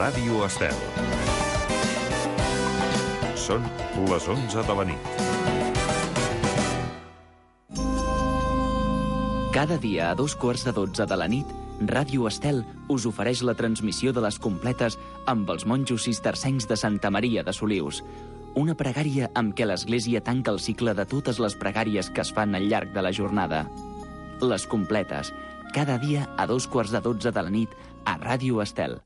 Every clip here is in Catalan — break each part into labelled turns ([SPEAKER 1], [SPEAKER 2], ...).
[SPEAKER 1] Ràdio Estel. Són les 11 de la nit.
[SPEAKER 2] Cada dia a 2:15 de la nit, Ràdio Estel us ofereix la transmissió de les completes amb els monjos cistercencs de Santa Maria de Solius. Una pregària amb què l'Església tanca el cicle de totes les pregàries que es fan al llarg de la jornada. Les completes, cada dia a 2:15 de la nit a Ràdio Estel.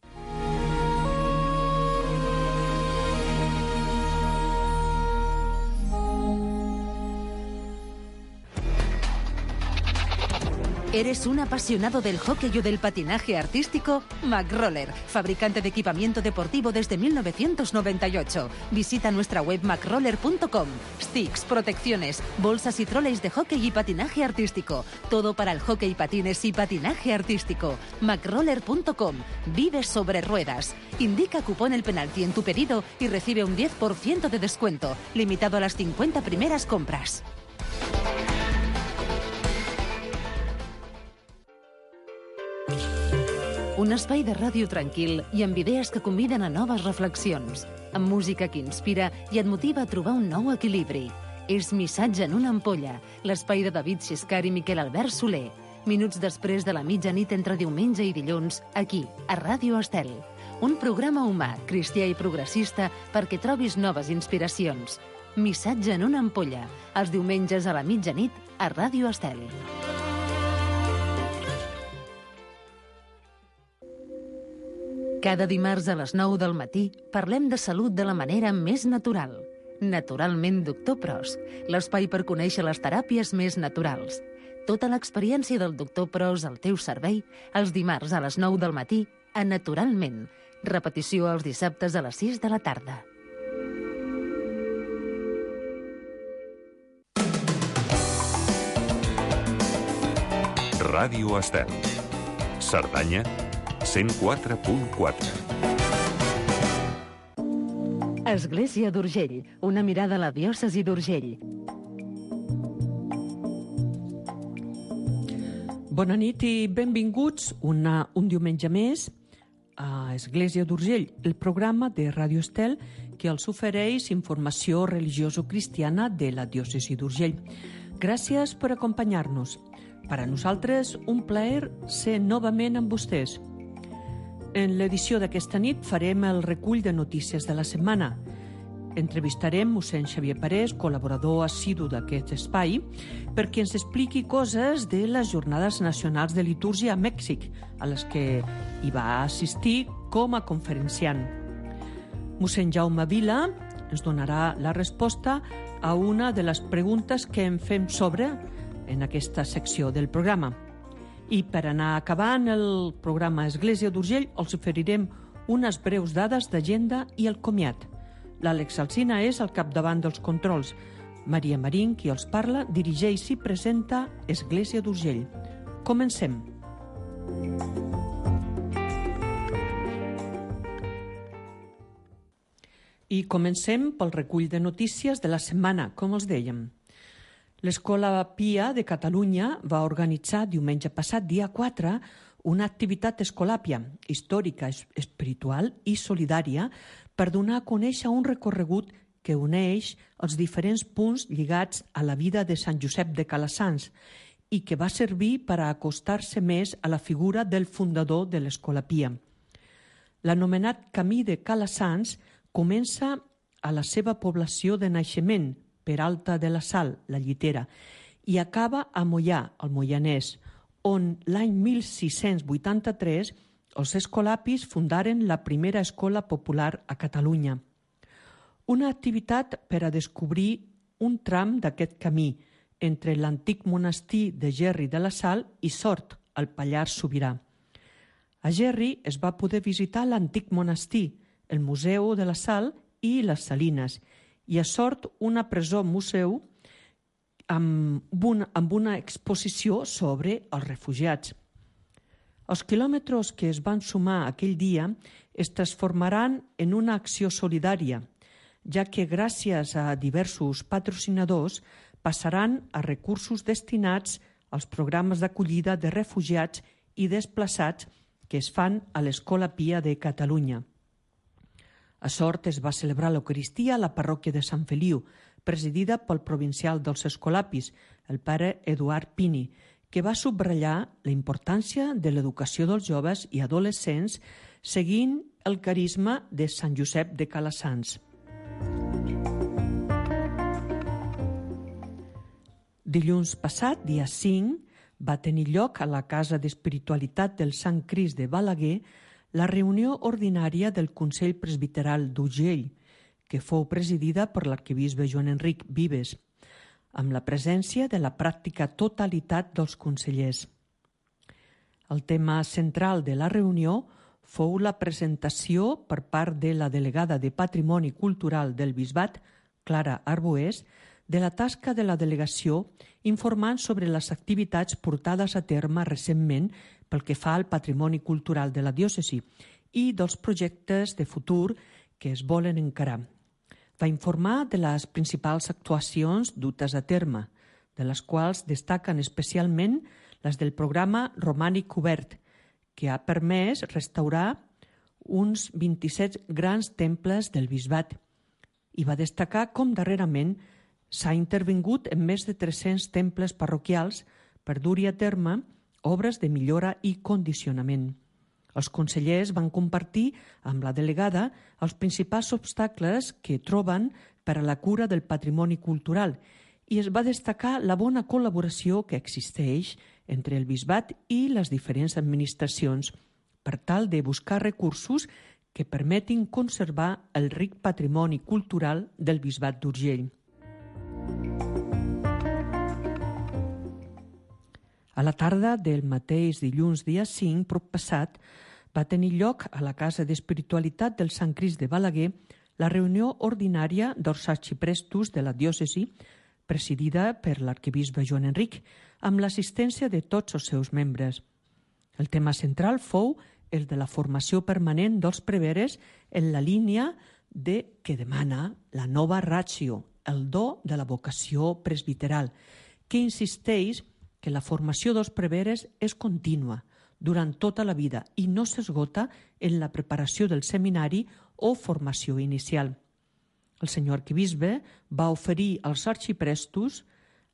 [SPEAKER 3] ¿Eres un apasionado del hockey o del patinaje artístico? McRoller, fabricante de equipamiento deportivo desde 1998. Visita nuestra web macroller.com. Sticks, protecciones, bolsas y troleys de hockey y patinaje artístico. Todo para el hockey, patines y patinaje artístico. macroller.com. Vive sobre ruedas. Indica cupón El Penalti en tu pedido y recibe un 10% de descuento, limitado a las 50 primeras compras. Un espai de ràdio tranquil i amb idees que conviden a noves reflexions, amb música que inspira i et motiva a trobar un nou equilibri. És Missatge en una ampolla, l'espai de David Xiscar i Miquel Albert Soler. Minuts després de la mitjanit entre diumenge i dilluns, aquí, a Ràdio Estel. Un programa humà, cristià i progressista perquè trobis noves inspiracions. Missatge en una ampolla, els diumenges a la mitjanit a Ràdio Estel. Cada dimarts a les 9 del matí parlem de salut de la manera més natural. Naturalment, Doctor Pros, l'espai per conèixer les teràpies més naturals. Tota l'experiència del Doctor Pros al teu servei els dimarts a les 9 del matí a Naturalment. Repetició els dissabtes a les 6 de la tarda.
[SPEAKER 1] Ràdio Estel. Cerdanya 104.4.
[SPEAKER 3] Església d'Urgell, una mirada a la diòcesi d'Urgell.
[SPEAKER 4] Bona nit i benvinguts un diumenge més a Església d'Urgell, el programa de Ràdio Estel que els ofereix informació religioso-cristiana de la diòcesi d'Urgell. Gràcies per acompanyar-nos. Per a nosaltres, un plaer ser novament amb vostès. En l'edició d'aquesta nit farem el recull de notícies de la setmana. Entrevistarem mossèn Xavier Parés, col·laborador assidu d'aquest espai, perquè ens expliqui coses de les Jornades Nacionals de Litúrgia a Mèxic, a les que hi va assistir com a conferenciant. Mossèn Jaume Vila ens donarà la resposta a una de les preguntes que en fem sobre en aquesta secció del programa. I per anar acabant el programa Església d'Urgell els oferirem unes breus dades d'agenda i el comiat. L'Àlex Alsina és al capdavant dels controls. Maria Marín, qui els parla, dirigeix i presenta Església d'Urgell. Comencem. I comencem pel recull de notícies de la setmana, com els dèiem. L'Escola Pia de Catalunya va organitzar diumenge passat, dia 4, una activitat escolàpia, històrica, espiritual i solidària per donar a conèixer un recorregut que uneix els diferents punts lligats a la vida de Sant Josep de Calassanç i que va servir per a acostar-se més a la figura del fundador de l'Escola Pia. L'anomenat Camí de Calassanç comença a la seva població de naixement, Peralta de la Sal, la Llitera, i acaba a Moià, al Moianès, on l'any 1683 els escolapis fundaren la primera escola popular a Catalunya. Una activitat per a descobrir un tram d'aquest camí entre l'antic monestir de Gerri de la Sal i Sort, al Pallars Sobirà. A Gerri es va poder visitar l'antic monestir, el Museu de la Sal i les Salines, i a Sort una presó-museu amb una exposició sobre els refugiats. Els quilòmetres que es van sumar aquell dia es transformaran en una acció solidària, ja que gràcies a diversos patrocinadors passaran a recursos destinats als programes d'acollida de refugiats i desplaçats que es fan a l'Escola Pia de Catalunya. A Sort es va celebrar l'Eucaristia a la parròquia de Sant Feliu, presidida pel provincial dels Escolapis, el pare Eduard Pini, que va subratllar la importància de l'educació dels joves i adolescents seguint el carisma de Sant Josep de Calasanç. Dilluns passat, dia 5, va tenir lloc a la Casa d'Espiritualitat del Sant Crist de Balaguer la reunió ordinària del Consell Presbiteral d'Urgell, que fou presidida per l'arquebisbe Joan Enric Vives, amb la presència de la pràctica totalitat dels consellers. El tema central de la reunió fou la presentació per part de la delegada de Patrimoni Cultural del Bisbat, Clara Arboés, de la tasca de la delegació informant sobre les activitats portades a terme recentment pel que fa al patrimoni cultural de la diòcesi i dels projectes de futur que es volen encarar. Va informar de les principals actuacions dutes a terme, de les quals destaquen especialment les del programa Romànic Obert, que ha permès restaurar uns 27 grans temples del bisbat, i va destacar com darrerament s'ha intervingut en més de 300 temples parroquials per dur-hi a terme obres de millora i condicionament. Els consellers van compartir amb la delegada els principals obstacles que troben per a la cura del patrimoni cultural i es va destacar la bona col·laboració que existeix entre el bisbat i les diferents administracions per tal de buscar recursos que permetin conservar el ric patrimoni cultural del bisbat d'Urgell. A la tarda del mateix dilluns dia 5 proppassat va tenir lloc a la Casa d'Espiritualitat del Sant Crist de Balaguer la reunió ordinària dels arxiprestos de la diòcesi, presidida per l'arquebisbe Joan Enric, amb l'assistència de tots els seus membres. El tema central fou el de la formació permanent dels preveres en la línia que demana la nova ratio, el do de la vocació presbiteral, que insisteix que la formació dels preveres és contínua durant tota la vida i no s'esgota en la preparació del seminari o formació inicial. El senyor arquebisbe va oferir als arxiprestos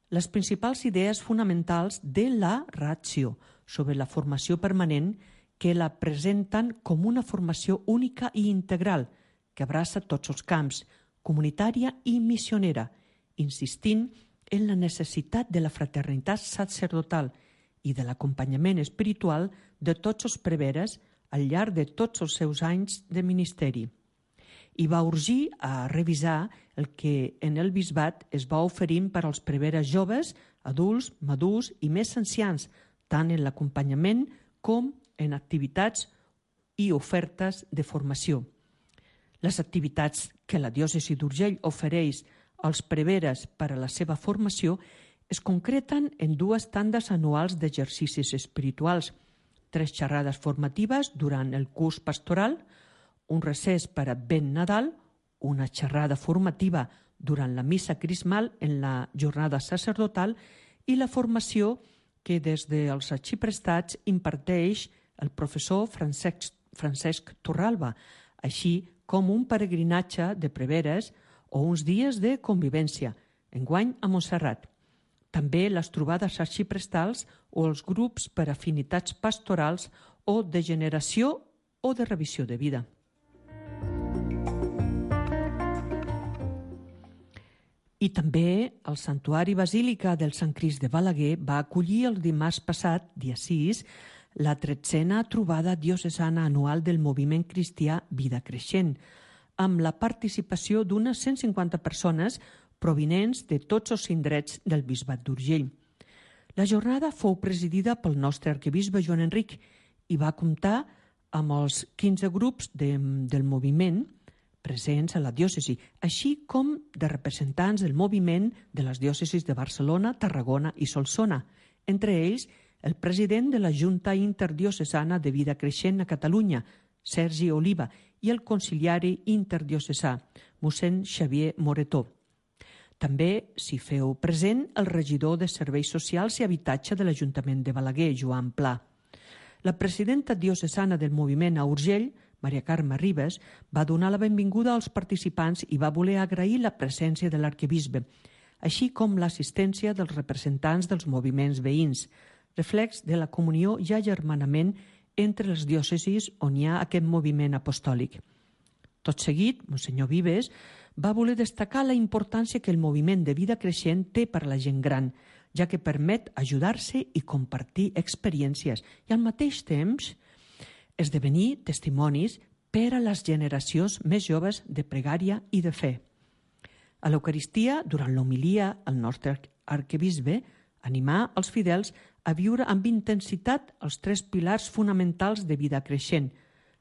[SPEAKER 4] les principals idees fonamentals de la ratio sobre la formació permanent que la presenten com una formació única i integral que abraça tots els camps, comunitària i missionera, insistint en la necessitat de la fraternitat sacerdotal i de l'acompanyament espiritual de tots els preveres al llarg de tots els seus anys de ministeri. I va urgir a revisar el que en el bisbat es va oferint per als preveres joves, adults, madurs i més ancians, tant en l'acompanyament com en activitats i ofertes de formació. Les activitats que la diòcesi d'Urgell ofereix als preveres per a la seva formació es concreten en 2 tandes anuals d'exercicis espirituals, 3 xerrades formatives durant el curs pastoral, un recés per Advent Nadal, una xerrada formativa durant la missa crismal en la jornada sacerdotal i la formació que des dels arxiprestats imparteix el professor Francesc Torralba, així com un peregrinatge de preveres o uns dies de convivència, enguany a Montserrat. També les trobades arxiprestals o els grups per afinitats pastorals o de generació o de revisió de vida. I també el Santuari Basílica del Sant Crist de Balaguer va acollir el dimarts passat, dia 6, la 13a trobada diocesana anual del moviment cristià Vida Creixent, amb la participació d'unes 150 persones provinents de tots els indrets del bisbat d'Urgell. La jornada fou presidida pel nostre arquebisbe Joan Enric i va comptar amb els 15 grups del moviment presents a la diòcesi, així com de representants del moviment de les diòcesis de Barcelona, Tarragona i Solsona, entre ells el president de la Junta Interdiocesana de Vida Creixent a Catalunya, Sergi Oliva, i el conciliari interdiocesà, mossèn Xavier Moretó. També s'hi feu present el regidor de Serveis Socials i Habitatge de l'Ajuntament de Balaguer, Joan Pla. La presidenta diocesana del moviment a Urgell, Maria Carme Ribes, va donar la benvinguda als participants i va voler agrair la presència de l'arquebisbe, així com l'assistència dels representants dels moviments veïns, reflex de la comunió i agermanament entre les diòcesis on hi ha aquest moviment apostòlic. Tot seguit, Monsenyor Vives va voler destacar la importància que el moviment de vida creixent té per a la gent gran, ja que permet ajudar-se i compartir experiències i al mateix temps esdevenir testimonis per a les generacions més joves de pregària i de fe. A l'Eucaristia, durant l'homilia, el nostre arquebisbe animà els fidels a viure amb intensitat els 3 pilars fonamentals de vida creixent: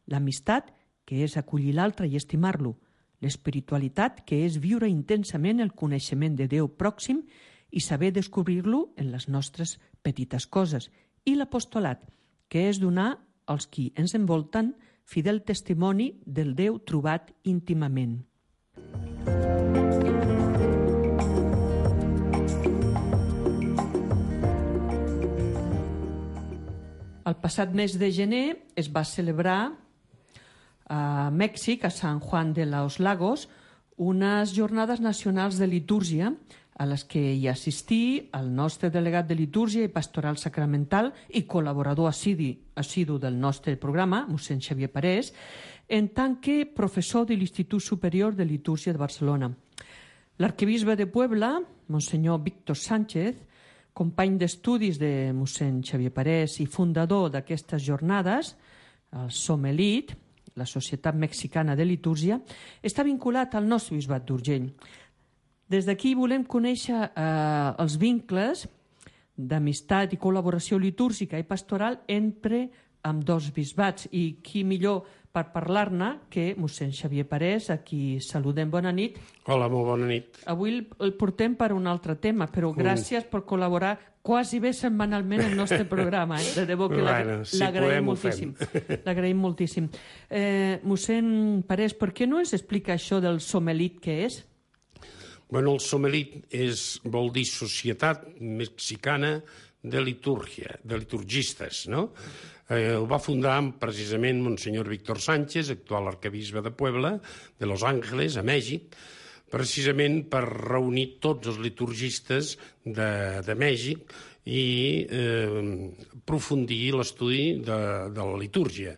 [SPEAKER 4] l'amistat, que és acollir l'altre i estimar-lo; l'espiritualitat, que és viure intensament el coneixement de Déu pròxim i saber descobrir-lo en les nostres petites coses; i l'apostolat, que és donar als qui ens envolten fidel testimoni del Déu trobat íntimament. El passat mes de gener es va celebrar a Mèxic, a San Juan de los Lagos, unes jornades nacionals de litúrgia a les que hi assistí el nostre delegat de litúrgia i pastoral sacramental i col·laborador assidu del nostre programa, mossèn Xavier Parés, en tant que professor de l'Institut Superior de Litúrgia de Barcelona. L'arquebisbe de Puebla, monsenyor Víctor Sánchez, company d'estudis de mossèn Xavier Parés i fundador d'aquestes jornades, el Somelit, la Societat Mexicana de Litúrgia, està vinculat al nostre bisbat d'Urgell. Des d'aquí volem conèixer els vincles d'amistat i col·laboració litúrgica i pastoral entre ambdós bisbats, i qui millor per parlar-ne que mossèn Xavier Parés, a qui saludem. Bona nit.
[SPEAKER 5] Hola, molt bona nit.
[SPEAKER 4] Avui el portem per un altre tema, però gràcies per col·laborar quasi bé setmanalment al nostre programa. De debò que l'agraïm moltíssim. L'agraïm moltíssim. Mossèn Parés, per què no ens explica això del Somelit, què és?
[SPEAKER 5] Bueno, el Somelit vol dir Societat Mexicana de Litúrgia, de liturgistes, no? El va fundar precisament Monsenyor Víctor Sánchez, actual arquebisbe de Puebla, de Los Ángeles, a Mèxic, precisament per reunir tots els liturgistes de Mèxic i aprofundir l'estudi de la litúrgia.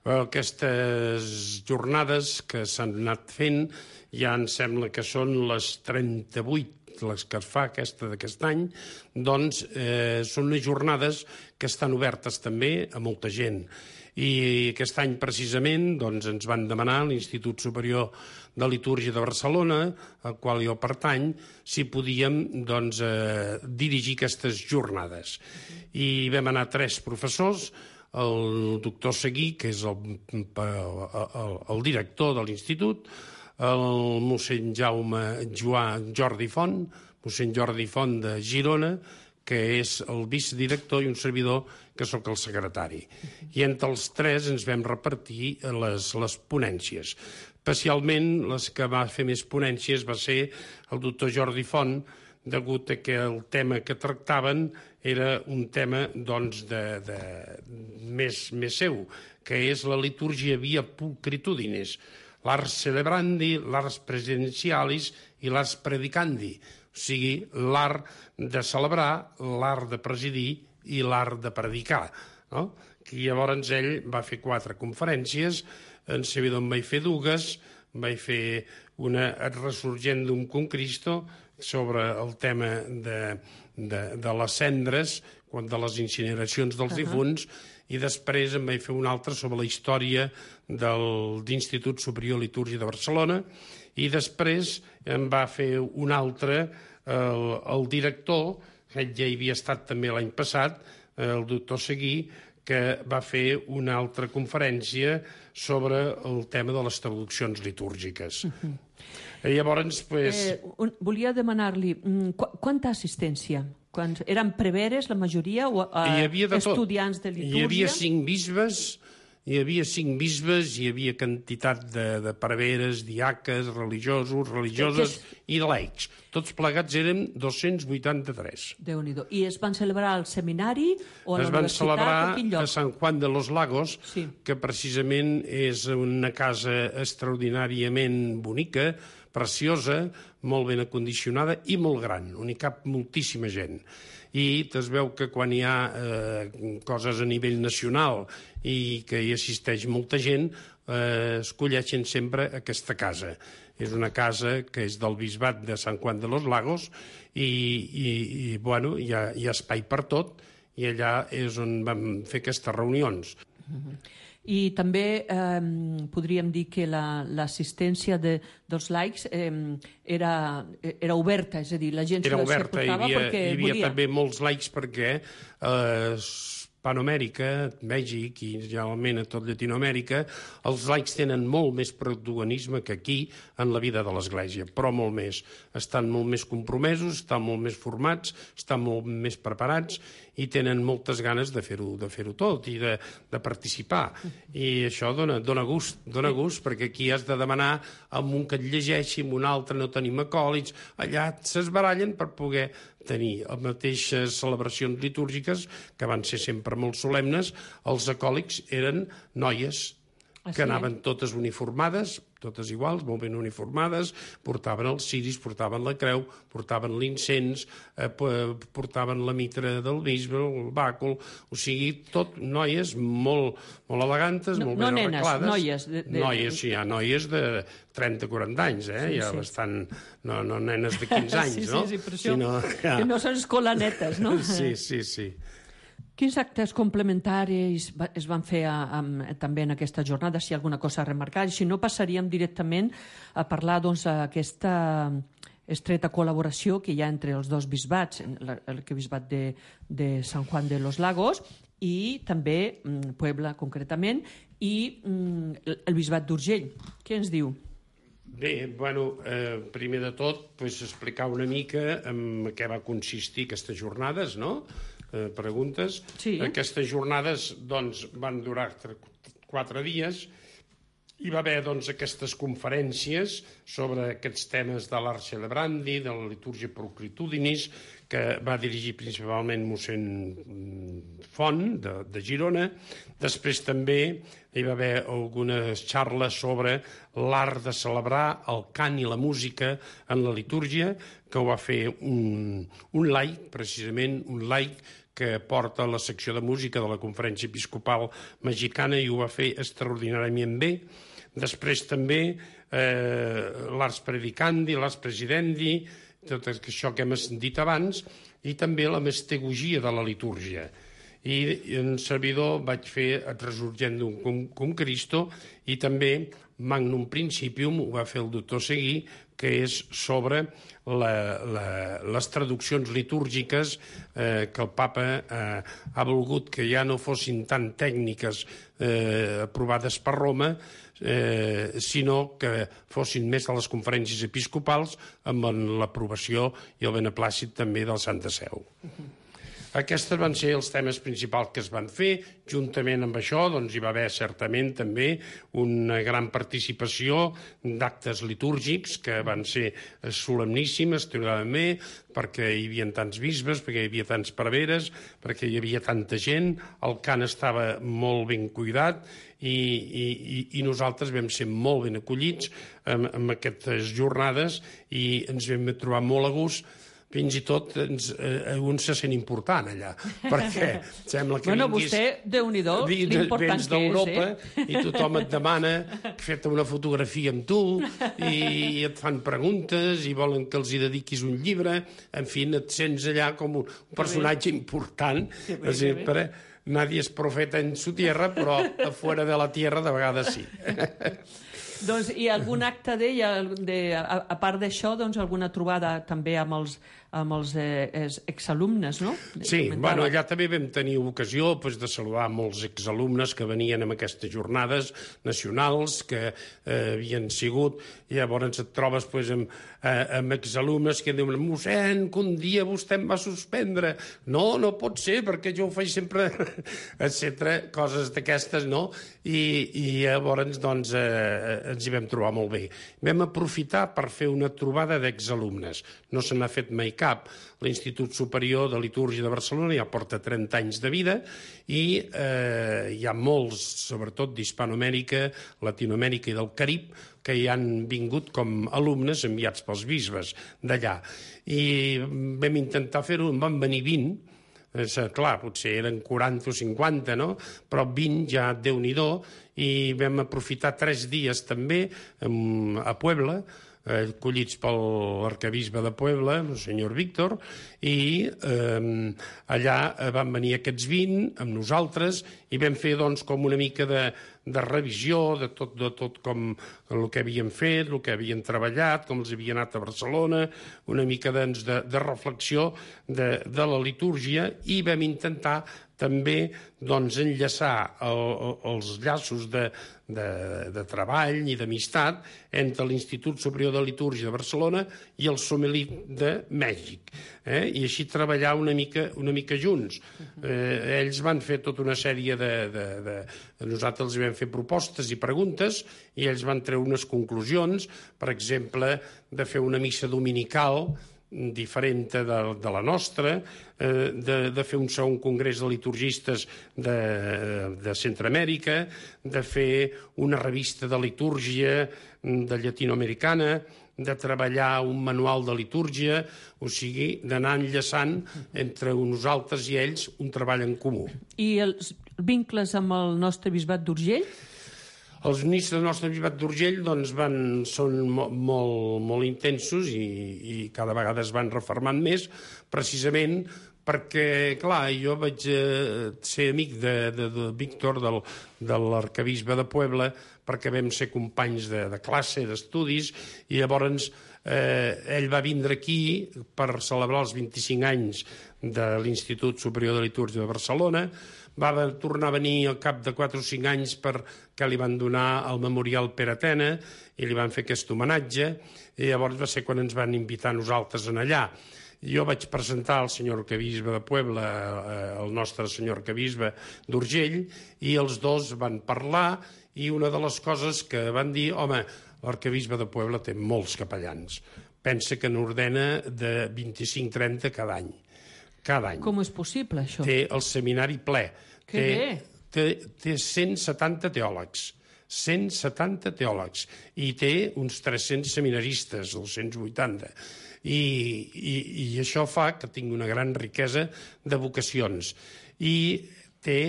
[SPEAKER 5] Aquestes jornades que s'han anat fent ja em sembla que són les 38 les que es fa d'aquest any, doncs són unes jornades que estan obertes també a molta gent. I aquest any precisament ens van demanar a l'Institut Superior de Litúrgia de Barcelona, al qual jo pertany, si podíem dirigir aquestes jornades. I vam anar 3 professors, el doctor Seguí, que és el director de l'Institut, el mossèn Jordi Font, mossèn Jordi Font de Girona, que és el vicedirector, i un servidor, que sóc el secretari. I entre els 3 ens vam repartir les ponències. Especialment les que va fer més ponències va ser el doctor Jordi Font, degut a que el tema que tractaven era un tema més seu, que és la litúrgia via pulcritudines, l'ars celebrandi, l'ars presencialis i l'ars predicandi, o sigui, l'art de celebrar, l'art de presidir i l'art de predicar. I llavors ell va fer 4 conferències, en servidor en vaig fer 2, vaig fer una Resurgendum cum Cristo sobre el tema de les cendres, de les incineracions dels difunts, i després em vaig fer una altra sobre la història de l'Institut Superior de Litúrgia de Barcelona, i després em va fer una altra el director, que ja hi havia estat també l'any passat, el doctor Seguí, que va fer una altra conferència sobre el tema de les traduccions litúrgiques. Llavors,
[SPEAKER 4] volia demanar-li, quanta assistència? Eren preveres, la majoria, o estudiants de litúrgia?
[SPEAKER 5] Hi havia 5 bisbes hi havia 5 bisbes, hi havia quantitat de preveres, diaques, religioses i laics. Tots plegats eren 283.
[SPEAKER 4] Déu-n'hi-do. I es van celebrar al seminari o a la
[SPEAKER 5] es van
[SPEAKER 4] universitat?
[SPEAKER 5] celebrar
[SPEAKER 4] A quin lloc?
[SPEAKER 5] a Sant Juan de los Lagos,
[SPEAKER 4] Sí.
[SPEAKER 5] que precisament és una casa extraordinàriament bonica, preciosa, molt ben acondicionada i molt gran, on hi cap moltíssima gent. I es veu que quan hi ha coses a nivell nacional i que hi assisteix molta gent, escolleixen sempre aquesta casa. És una casa que és del bisbat de Sant Juan de los Lagos i bueno, hi ha espai per tot, i allà és on vam fer aquestes reunions.
[SPEAKER 4] I també podríem dir que l'assistència dels laics era oberta, és a dir, la gent
[SPEAKER 5] Era oberta, hi havia
[SPEAKER 4] volia.
[SPEAKER 5] també molts laics perquè Hispanoamèrica, Mèxic i generalment a tot Llatinoamèrica, els laics tenen molt més protagonisme que aquí en la vida de l'Església, però molt més. Estan molt més compromesos, estan molt més formats, estan molt més preparats i tenen moltes ganes de fer-ho tot i de participar. I això dona gust, perquè aquí has de demanar a un que et llegeixi, a un altre no tenim acòlits, allà s'esbarallen per poder tenir les mateixes celebracions litúrgiques, que van ser sempre molt solemnes. Els acòlics eren noies que anaven totes uniformades, totes iguals, molt ben uniformades, portaven els ciris, portaven la creu, portaven l'incens, portaven la mitra del bisbe, el bàcul, o sigui, tot noies molt elegantes, molt ben arreglades.
[SPEAKER 4] Noies.
[SPEAKER 5] Noies, sí, hi ha noies de 30-40 anys, ja bastant, no nenes de 15 anys, no?
[SPEAKER 4] Sí, però això, que no són escolanetes, no?
[SPEAKER 5] Sí.
[SPEAKER 4] Quins actes complementaris es van fer també en aquesta jornada, si hi ha alguna cosa a remarcar? Si no, passaríem directament a parlar d'aquesta estreta col·laboració que hi ha entre els dos bisbats, l'arquebisbat de Sant Juan de los Lagos i també Puebla, concretament, i el bisbat d'Urgell. Què ens diu?
[SPEAKER 5] Bé, bueno, primer de tot, explicar una mica en què va consistir aquestes jornades, no? Preguntes.
[SPEAKER 4] Sí.
[SPEAKER 5] Aquestes jornades van durar 4 dies. Hi va haver aquestes conferències sobre aquests temes de l'art celebrandi, de la litúrgia proclitudinis, que va dirigir principalment mossèn Font, de Girona. Després també hi va haver algunes xarles sobre l'art de celebrar, el cant i la música en la litúrgia, que ho va fer un laic, precisament un laic, que porta la secció de música de la Conferència Episcopal Mexicana i ho va fer extraordinàriament bé. Després també l'ars predicandi, l'ars presidendi, tot això que hem dit abans, i també la mistegogia de la litúrgia. I en servidor vaig fer el Resurgendum cum Cristo i també Magnum Principium ho va fer el doctor Seguí, que és sobre les traduccions litúrgiques que el papa ha volgut que ja no fossin tan tècniques aprovades per Roma, sinó que fossin més a les conferències episcopals amb l'aprovació i el beneplàcit també del Santa Seu. Aquests van ser els temes principals que es van fer. Juntament amb això hi va haver certament també una gran participació d'actes litúrgics que van ser solemníssimes, també, perquè hi havia tants bisbes, perquè hi havia tants preveres, perquè hi havia tanta gent, el cant estava molt ben cuidat i nosaltres vam ser molt ben acollits en aquestes jornades i ens vam trobar molt a gust. Fins i tot un se sent important allà, perquè sembla que vinguis...
[SPEAKER 4] Vostè, Déu-n'hi-do, l'important
[SPEAKER 5] vens d'Europa i tothom et demana fer-te una fotografia amb tu i et fan preguntes i volen que els hi dediquis un llibre. En fi, et sents allà com un personatge important. Sempre nadie es profeta en su tierra, però a fora de la tierra de vegades sí.
[SPEAKER 4] Doncs, i algun acte a part d'això, doncs, alguna trobada també amb els exalumnes, no?
[SPEAKER 5] Sí, bueno, allà també vam tenir ocasió de saludar molts exalumnes que venien en aquestes jornades nacionals que havien sigut, i llavors et trobes amb exalumnes que diuen: mossèn, que un dia vostè em va suspendre. No pot ser, perquè jo ho faig sempre, etc. Coses d'aquestes, no? I llavors, doncs, ens hi vam trobar molt bé. Vam aprofitar per fer una trobada d'exalumnes. No se n'ha fet mai cap. L'Institut Superior de Litúrgia de Barcelona ja porta 30 anys de vida i hi ha molts, sobretot d'Hispanoamèrica, Latinoamèrica i del Carib, que hi han vingut com alumnes enviats pels bisbes d'allà. I vam intentar fer-ho, en van venir 20, clar, potser eren 40 o 50, no? Però 20 ja, Déu-n'hi-do, i vam aprofitar 3 dies també a Puebla, acollits per l'arquebisbe de Puebla, el senyor Víctor, i allà van venir aquests 20 amb nosaltres i vam fer, doncs, com una mica de revisió de tot com el que havien fet, el que havien treballat, com els havia anat a Barcelona, una mica de reflexió de la litúrgia, i vam intentar també enllaçar els llaços de treball i d'amistat entre l'Institut Superior de Litúrgia de Barcelona i el Sommelier de Mèxic, i així treballar una mica junts. Ells van fer tota una sèrie nosaltres els vam fer propostes i preguntes i ells van treure unes conclusions, per exemple, de fer una missa dominical diferent de la nostra, de fer un segon congrés de liturgistes de Centroamèrica, de fer una revista de litúrgia de llatinoamericana, de treballar un manual de litúrgia, o sigui, d'anar enllaçant entre nosaltres i ells un treball en comú.
[SPEAKER 4] I els vincles amb el nostre bisbat d'Urgell?
[SPEAKER 5] Els ministres del nostre bisbat d'Urgell són molt intensos i cada vegada es van refermant més, precisament perquè, clar, jo vaig ser amic de Víctor, de l'arquebisbe de Puebla, perquè vam ser companys de classe, d'estudis, i llavors ell va vindre aquí per celebrar els 25 anys de l'Institut Superior de Litúrgia de Barcelona. Va tornar a venir al cap de 4 o 5 anys perquè li van donar el Memorial Pere Atena i li van fer aquest homenatge, i llavors va ser quan ens van invitar a nosaltres allà. Jo vaig presentar al senyor arquebisbe de Puebla, el nostre senyor arquebisbe d'Urgell, i els dos van parlar, i una de les coses que van dir: home, l'arquebisbe de Puebla té molts capellans. Pensa que n'ordena de 25-30 cada any.
[SPEAKER 4] Com és possible, això?
[SPEAKER 5] Té el seminari ple.
[SPEAKER 4] Que bé!
[SPEAKER 5] Té 170 teòlegs. 170 teòlegs. I té uns 300 seminaristes, 280. I això fa que tingui una gran riquesa de vocacions. I té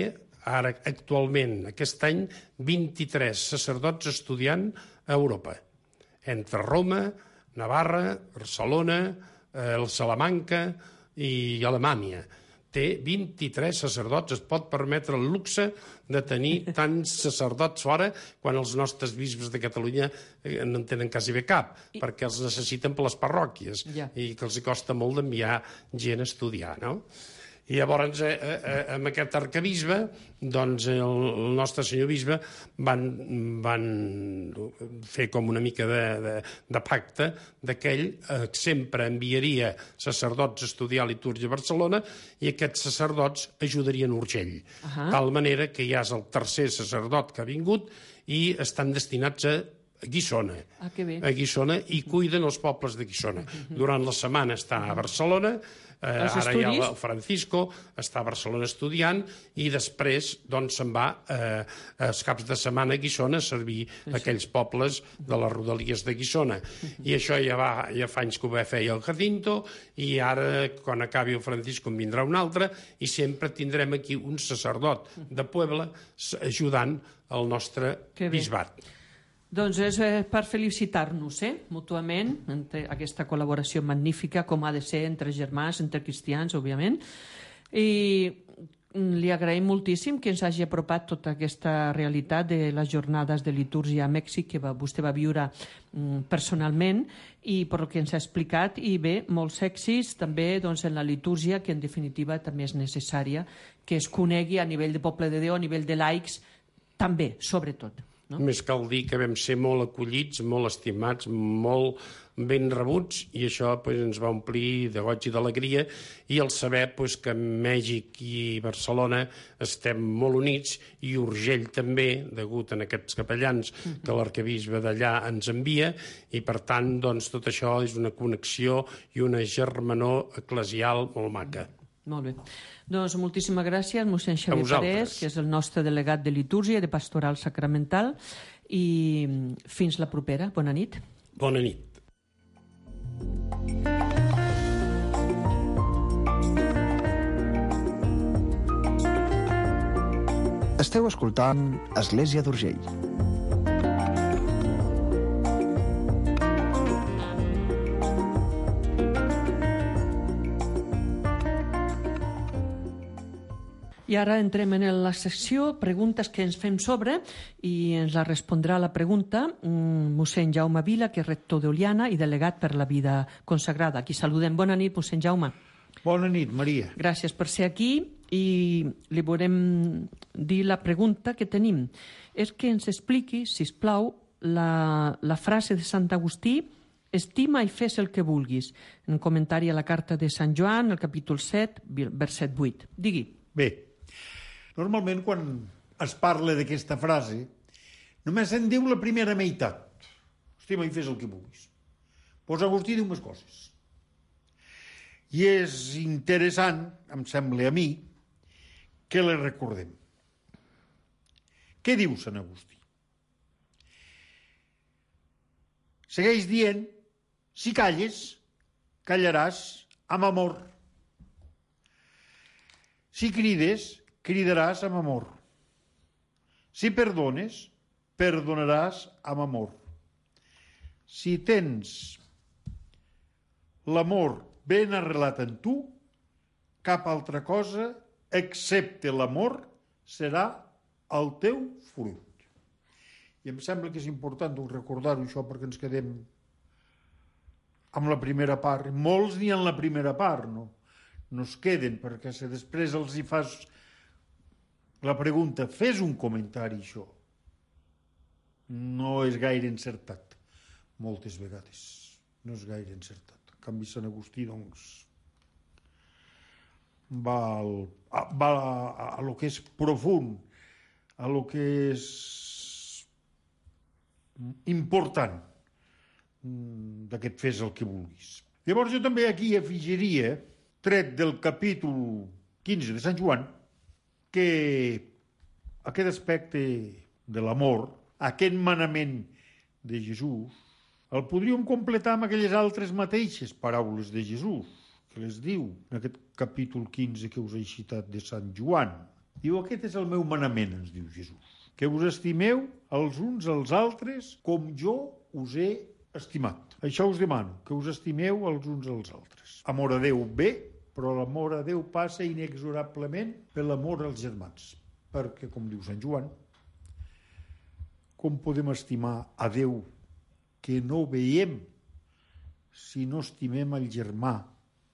[SPEAKER 5] ara, actualment, aquest any, 23 sacerdots estudiant a Europa. Entre Roma, Navarra, Barcelona, Salamanca i Alemanya. Té 23 sacerdots, es pot permetre el luxe de tenir tants sacerdots fora quan els nostres bisbes de Catalunya no en tenen quasi bé cap, perquè els necessiten per les parròquies i que els costa molt d'enviar gent a estudiar, no? I llavors, amb aquest arquebisbe, doncs el nostre senyor bisbe van fer com una mica de pacte que ell sempre enviaria sacerdots a estudiar litúrgia a Barcelona i aquests sacerdots ajudarien Urgell. De tal manera que ja és el tercer sacerdot que ha vingut i estan destinats a Guissona. A Guissona, i cuiden els pobles de Guissona. Durant la setmana està a Barcelona, ara hi ha el Francisco, està a Barcelona estudiant, i després se'n va els caps de setmana a Guissona a servir aquells pobles de les rodalies de Guissona. I això ja fa anys que ho feia el Jacinto, i ara, quan acabi el Francisco, en vindrà un altre, i sempre tindrem aquí un sacerdot de Puebla ajudant el nostre bisbat.
[SPEAKER 4] Doncs és per felicitar-nos, mútuament, entre aquesta col·laboració magnífica, com ha de ser entre germans, entre cristians, òbviament. I li agraïm moltíssim que ens hagi apropat tota aquesta realitat de les jornades de litúrgia a Mèxic que vostè va viure personalment i per el que ens ha explicat. I bé, molts èxits també en la litúrgia, que en definitiva també és necessària que es conegui a nivell de poble de Déu, a nivell de laics, també, sobretot.
[SPEAKER 5] Només cal dir que vam ser molt acollits, molt estimats, molt ben rebuts, i això ens va omplir de goig i d'alegria, i el saber que Mèxic i Barcelona estem molt units, i Urgell també, degut a aquests capellans que l'arquebisbe d'allà ens envia, i per tant tot això és una connexió i una germanor eclesial molt maca.
[SPEAKER 4] Molt bé. Doncs moltíssimes gràcies, mossèn Xavier Parés, que és el nostre delegat de litúrgia i de pastoral sacramental, i fins la propera. Bona nit.
[SPEAKER 5] Bona nit.
[SPEAKER 6] Esteu escoltant Església d'Urgell.
[SPEAKER 4] I ara entrem en la secció Preguntes que ens fem sobre, i ens la respondrà la pregunta mossèn Jaume Vila, que és rector d'Oliana i delegat per la vida consagrada. Aquí saludem. Bona nit, mossèn Jaume.
[SPEAKER 7] Bona nit, Maria.
[SPEAKER 4] Gràcies per ser aquí, i li volem dir la pregunta que tenim. És que ens expliqui, sisplau, la frase de Sant Agustí: estima i fes el que vulguis, en comentari a la carta de Sant Joan, el capítol 7, verset 8. Digui.
[SPEAKER 7] Bé, normalment quan es parla d'aquesta frase només se'n diu la primera meitat. Estima i fes el que vulguis. Doncs Agustí diu més coses. I és interessant, em sembla a mi, que les recordem. Què diu Sant Agustí? Segueix dient: si calles, callaràs amb amor. Si crides, cridaràs amb amor. Si perdones, perdonaràs amb amor. Si tens l'amor ben arrelat en tu, cap altra cosa, excepte l'amor, serà el teu fruit. I em sembla que és important recordar-ho, això, perquè ens quedem amb la primera part. Molts ni en la primera part, no es queden, perquè si després els hi fas la pregunta, fes un comentari, això no és gaire encertat. Moltes vegades no és gaire encertat. En canvi, Sant Agustí, va a lo que és profund, a lo que és important d'aquest fes el que vulguis. Llavors jo també aquí afegiria, tret del capítol 15 de Sant Joan, que aquest aspecte de l'amor, aquest manament de Jesús, el podríem completar amb aquelles altres mateixes paraules de Jesús, que les diu en aquest capítol 15 que us he citat de Sant Joan. Diu: aquest és el meu manament, ens diu Jesús, que us estimeu els uns als altres com jo us he estimat. Això us demano, que us estimeu els uns als altres. Amor a Déu bé, però l'amor a Déu passa inexorablement per l'amor als germans. Perquè, com diu Sant Joan, com podem estimar a Déu que no veiem si no estimem el germà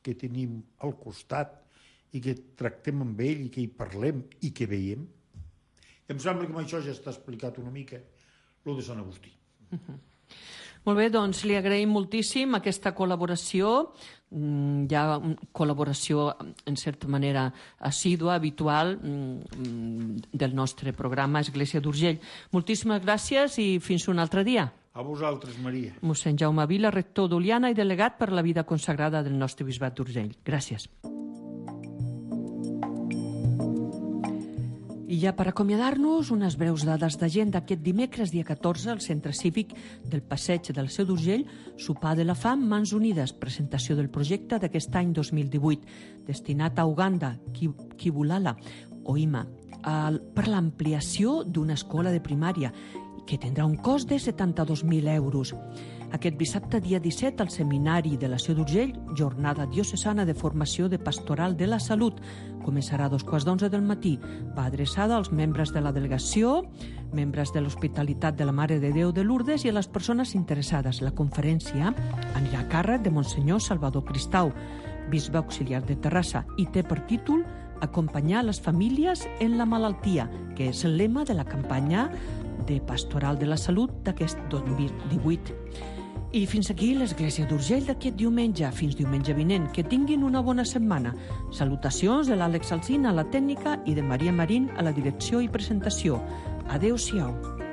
[SPEAKER 7] que tenim al costat i que tractem amb ell i que hi parlem i que veiem? I em sembla que amb això ja està explicat una mica el de Sant Agustí.
[SPEAKER 4] Molt bé, doncs li agraïm moltíssim aquesta col·laboració, ja col·laboració en certa manera assídua, habitual del nostre programa Església d'Urgell. Moltíssimes gràcies i fins un altre dia.
[SPEAKER 7] A vosaltres, Maria.
[SPEAKER 4] Mossèn Jaume Vila, rector d'Oliana i delegat per la vida consagrada del nostre bisbat d'Urgell. Gràcies. I ja per acomiadar-nos, unes breus dades d'agenda. Aquest dimecres, dia 14, al Centre Cívic del Passeig del Seu d'Urgell, sopar de la fam, Mans Unides, presentació del projecte d'aquest any 2018, destinat a Uganda, Kibulala, Oima, per l'ampliació d'una escola de primària que tindrà un cost de 72.000 euros. Aquest dissabte, dia 17, al Seminari de la Seu d'Urgell, jornada diocesana de formació de Pastoral de la Salut. Començarà a 2:15 del matí. Va adreçada als membres de la delegació, membres de l'Hospitalitat de la Mare de Déu de Lourdes i a les persones interessades. La conferència anirà a càrrec de Monsenyor Salvador Cristau, bisbe auxiliar de Terrassa, i té per títol Acompanyar les famílies en la malaltia, que és el lema de la campanya de Pastoral de la Salut d'aquest 2018. I fins aquí l'Església d'Urgell d'aquest diumenge. Fins diumenge vinent. Que tinguin una bona setmana. Salutacions de l'Àlex Alsina a la tècnica i de Maria Marín a la direcció i presentació. Adéu-siau.